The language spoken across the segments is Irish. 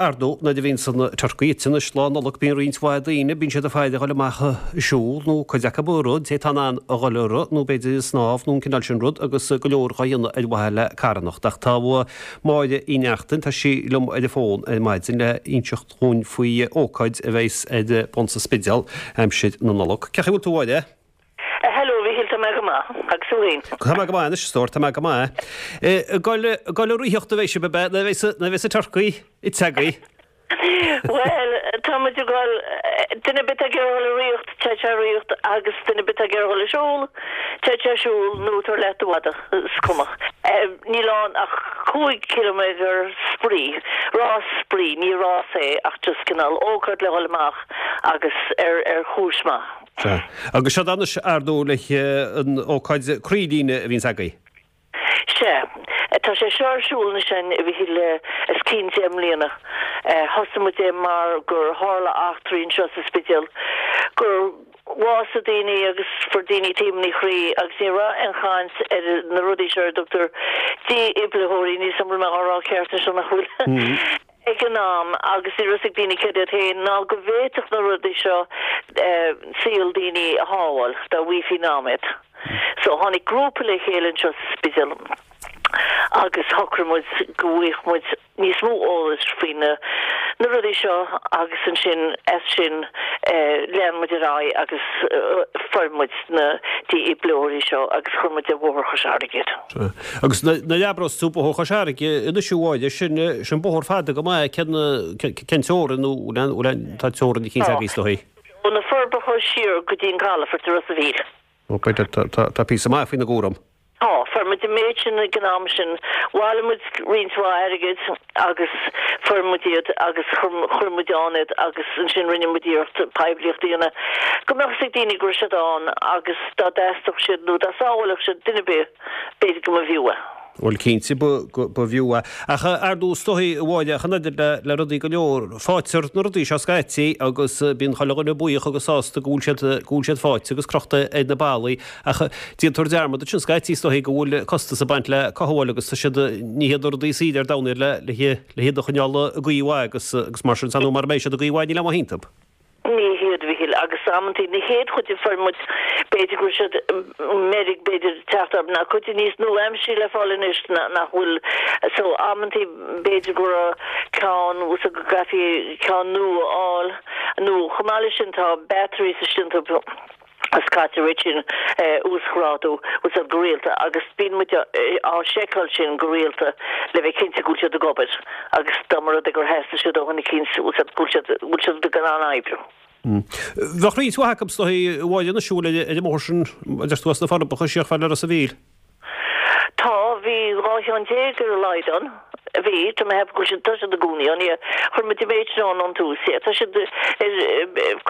Ar ndóigh, nuair a bhíonns an turcaí ite anois Lá Nollag bíonn roinnt mhaith daoine, bíonn siad ag faire a dhul amach ag siúl nó cuid acu ag rith, an té atá in ann a dhul ag rith nó b'fhéidir ag snámh nó an cineál sin rud agus go leor dhá dhéanamh ar mhaithe le carthanacht. Ach tá Máire Uí Neachtain, tá sí liom ar an bhfón ar maidin le inseacht dhúinn faoi ócáid a bheas ar bun sa Spidéal aimsir na Nollag. Cén chaoi a bhfuil tú a Mháire? Hello, a Mhíchíl, tá mé go maith. Agus tú féin? Tá mé go maith anois, a stór, tá mé go maith. Ag dul, ag dul ag ritheacht a bheidh sibh, ab ea, nuair a bheas, nuair a bheas an turcaí ite agaibh? Bhuel, tá muid ag dul, duine ar bith atá ag iarraidh dul ag ritheacht, téadh sé ag ritheacht agus duine ar bith atá ag iarraidh dul ag siúl, téadh sé ag siúl nó tabhair leat do mhadadh, is cuma. Níl ann ach 5 ciliméadar spraoi, rás spraoi, ní rás é ach just cineál ócáid le dhul amach agus ar, ar chúis maith. Sea. Agus seo anois, ar ndóigh, le an ócáid croílíne a bhíonns agaibh. Sea. Tá sé seo ar siúl anois againn, a Mhíchíl, le os cionn 10 mbliana. Thosaigh muid é mar gur tharla eachtraí anseo sa Spidéal, gur bhásaigh daoine agus fuair daoine taomanna croí agus ní raibh aon chaint ar na rudaí seo ar a dtugtar dífhibritheoirí, níl 's a'm an bhfuil mé á rá ceart anseo nach bhfuil? ag an am agus ní raibh 's ag daoine céard iad féin ná go bhféadfadh na rudaí seo saol daoine a shábháil dá bhfaighfí in am iad. So tháinig grúpa le chéile anseo sa Spidéal agus shocraigh muid go bhfaigheadh muid níos mó eolais faoi na na rudaí seo agus ansin as sin lean muid ar aghaidh agus fuair muid na dífhibritheoirí seo agus chuir muid ar Bhóthar Chois Fharraige iad. Agus nuair a abrós tú Bóthar Chois Fharraige anois a Mháire, sin, sin bóthar fada go maith, cén, cén teorainn nó bhfuil aon, tá teorainn eicínt agaibh is dóigh? Ó na Forbacha siar go dtí an calafort i Ros a' Mhíl. Ó, b'fhéidir, tá, tá, tá píosa maith faoina gcúram. Tá, fuair muid an méid sin ag an am sin, bhailigh muid roinnt mhaith airgid agus fuair muid iad agus chuir, chuir muid ann iad agus ansin rinne muid iarracht poiblíocht a dhéanamh go mbeadh fhios ag daoine go raibh siad ann agus dá dteastódh siad nó dá sábhálfadh siad duine ar bith, B'fhéidir go mba bhfiú é. Bhuel, cinnte, ba bhfiú é. Ach ar ndóigh, is dóigh, a Mháire, ach an oiread le rudaí go leor, faightear na rudaí seo scaití agus bíonn chuile dhuine buíoch agus sásta go bhfuil siad, go bhfuil siad faighte agus crochta ar na ballaí. Ach déantar dearmad ansin scaití, is dóigh, go bhfuil costas ag baint le cothabháil agus tá siad, ní hiad na rudaí is saoire ar domhan iad le, le hiad a choinneáil i gcaoi mhaith agus, agus mar sin, is ar ndóigh mara mbeidh siad i gcaoi mhaith níl aon mhaith iontu. Ní hiad, a Mhíchíl, agus amantaí na chéad chuid a fuair muid, b'fhéidir go raibh siad meirg, b'fhéidir, teacht orthu, ná cuid níos nua-aimseartha le fáil anois nach bhfuil, so amantaí b'fhéidir go raibh ceann, so go gcaithfí ceann nua a fháil, nó chomh maith leis sin tá batteries istigh iontu. agus caitear iad sin a uasghrádú úsáid go rialta agus bíonn muid á seiceáil sin go rialta le bheith cinnte go bhfuil siad ag obair agus dá mba rud é gur theastaigh siad ó dhuine eicínt úsáid go bhfuil siad go bhfuil siad in ann oibriú. Bheadh roinnt mhaith acu is dóigh a Mháire anois a bhfuil ar an mbóthar sin a deir tú as na Forbacha siar chomh fada le Ros a' Mhíl. Tá, bhí 12 cheann ar a laghad ann. Bhí, tá mé ag ceapadh go bhfuil siad, tá siad i gcónaí ann, yeah. Chuir muid an méid sin ann ón tús, yeah. Tá siad ar,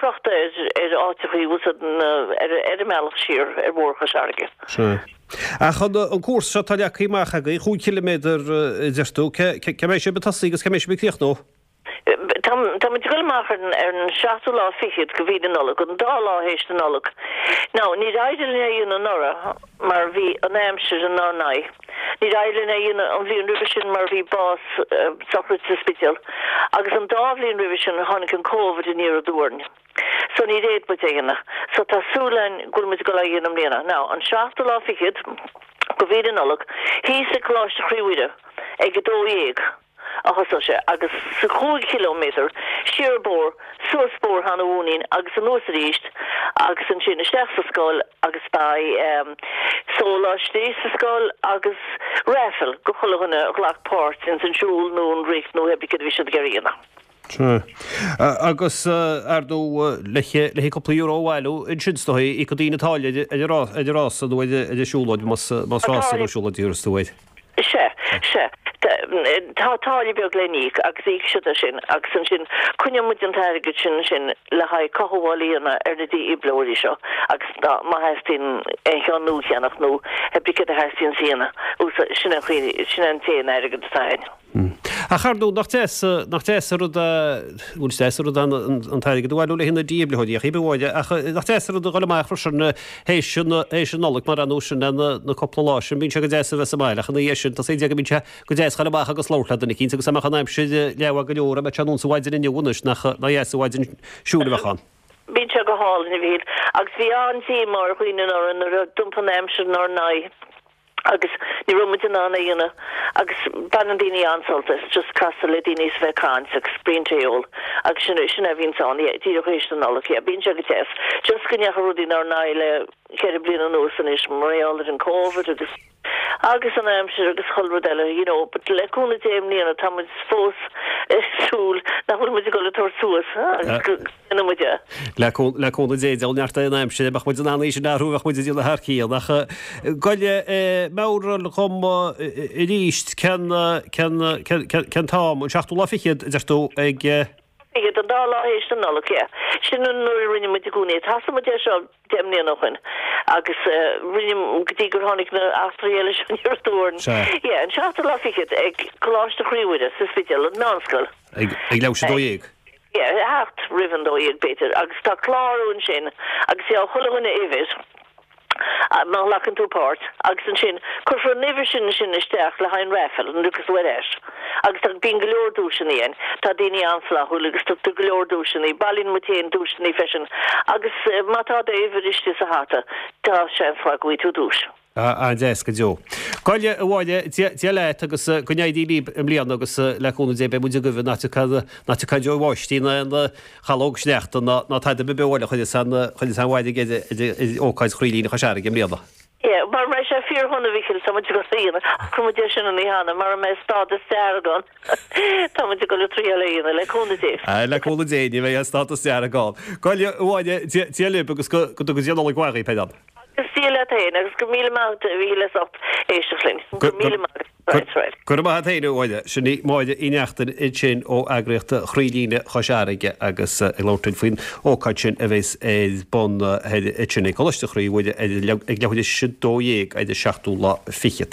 crochta ar, ar áiteachaí, bhfuil 's a'd, na, ar, ar an mbealach siar ar Bhóthar Chois Fharraige. Sea. Ach an, an cúrsa seo atá leagtha amach agaibh, chúig chiliméadar a deir tú, cé, cé mbeidh sibh ag tosaí agus cé mbeidh sibh ag críochnú? Tá muid ag dul amach ar an seachtú lá fichead de mhí na Nollag, an dá lá théis na Nollag. Now, níor éirigh linn é a dhéanamh anuraidh mar bhí an aimsir inár n-aghaidh. Níor éirigh linn é a dhéanamh an bhliain roimhe sin mar bhí bás, sochraid sa Spidéal. Agus an dá bhliain roimhe sin tháinig an Covid aniar aduaidh orainn. So níor fhéad muid é a dhéanamh. So tá súil againn go bhfuil muid ag dul á dhéanamh i mbliana. Now, an seachtú lá fichead de mhí na Nollag, thíos ag Coláiste Chroí Mhuire ag 12:00. a thosóidh sé agus sa chúig chiliméadar siar an bóthar, suas Bóthar Sheáin Uí Mhainnín agus anuas arís agus ansin isteach sa scoil agus beidh sóláistí sa scoil agus raffle go chuile dhuine a ghlac páirt ins an siúl nó an rith nó pé céard a bhí siad ag iarraidh a dhéanamh. Sea. Agus, ar ndóigh, le cúpla euro a bhailiú ansin is dóigh, íocfaidh daoine táille ar an rása nó ar an siúlóid, más rása nó siúlóid a thabharfas tú air. Sea, sea. Tá táille beag le n-íoc agus íocfaidh siad é sin agus ansin coinneoidh muid an t-airgead sin ansin le haghaidh cothabháil a dhéanamh ar na dífhibritheoirí seo agus má theastaíonn aon cheann nua a cheannach nó pé céard a theastaíonn a dhéanamh, sin an chaoi, sin an t-aon airgead atá againn. Ach ar ndóigh, nach deas, nach deas an rud é, bhuel is deas an rud é an t-airgead a bhailiú le haghaidh na dífhibritheoirí ach cibé, ach nach deas an rud a dhul amach freisin théis an, théis an Nollaig mar ar nós sin na, na cúpla lá sin, bíonn sé go deas a bheith sa mbaile ach ina dhiaidh sin, tá sé go mbíonn sé go deas dhul amach agus labhairt le duine eicínt agus dá mbeadh an aimsir leathmhaith go leor, dá mbeadh sé anonn sa mhaidin inniu anois, nach, nach dheas an mhaidin siúil a bheadh ann. Bíonn sé go hálainn, a Mhíchíl, agus bhí an-díomá ar dhaoine anuraidh nuair a d'iompaigh an aimsir inár n-aghaidh agus ní raibh muid in ann é a dhéanamh agus baineann daoine an-sult as just casadh le daoine is a bheith ag caint agus braon tae a ól agus sin sin é a bhíonns ann, yeah, díreach théis na Nollag, yeah, bíonn sé go deas. Just go ndeachaigh rudaí inár n-aghaidh le cheithre bliana anuas anois mar gheall ar an Covid agus. agus an aimsir agus chuile rud eile, you know, but le cúnamh Dé i mbliana tá muid fós ag súil nach bhfuil muid ag dul ag tabhairt suas agus go ndéanfaidh muid é. Le le cúnamh Dé, deabhal neart é an aimsir, dá mbeadh muid in ann í sin a athrú bheadh muid ag déanamh thar cionn. Ach gabh meabhraigh dhom arís cén cén cén cén t-am, an seachtú lá fichead, a deir tú, ag. Fichead, an dá lá théis na Nollag, yeah. Sin an nuair a rinne muid i gcónaí. Thosaigh muid é seo 10 mbliana ó shoin agus rinne, go dtí gur tháinig na eachtraí eile seo aniar aduaidh orainn. Sea. Yeah, an seachtú lá fichead ag Coláiste Chroí Mhuire sa Spidéal, an meánscoil. Ag, ag leathuair théis a 12. Yeah, thart roimh an 12 b'fhéidir agus tá clárú ansin agus gheobhaidh chuile dhuine uimhir. má ghlacann tú páirt, agus ansin cuirfear an uimhir sin ansin isteach le haghaidh an raffle an dtuigeann tú ar ais. Agus tá, bíonn go leor duaiseanna ann. Tá daoine an-fhlaithiúil agus tugtar go leor duaiseanna. Bailíonn muid féin duaiseanna freisin agus má tá d'uimhir istigh sa hata, tá seans maith go bhfaighidh tú duais. An-deas go deo. Gabh a Mháire, Dia leat agus go n-éirí libh i mbliana agus le cúnamh Dé beidh muid agaibh nach dtiocfaidh nach dtiocfaidh an deoir bháistí ná aon Calóg sneachta ná ná tada ar bith eile a chuirfeas an chuirfeas an bhfairrge ar ar ócáid Chroílíne Chois Fharraige i mbliana. Yeah, mara mbeidh sé fíordhona a Mhíchíl, tá muid ag dul a dhéanamh, chuir muid é sin an oíche cheana, mara mbeidh stádas dearg ann, tá muid ag dul a triail é a dhéanamh, le cúnamh Dé. Ah, le cúnamh Dé, ní bheidh aon stádas dearg ann. Gabh a Mháire, Dia Dia libh agus go go dtuga Dia Nollaig mhaith dhaoibh, pé ann. Agus Dia leat féin, agus go raibh míle maith agat a Mhíchíl as ucht éisteacht linn. Go raibh míle maith agat. Right, right. Go raibh maith a't fhéin, a Mháire. Sin í Máire Uí Neachtain ansin ó eagraíocht Chroílíne Chois Fharraige agus ag labhairt linn faoin ócáid sin a bheas ar bun ansin ag Coláiste Chroí Mhuire ag leathuair théis 12 ar an seachtú lá fichead.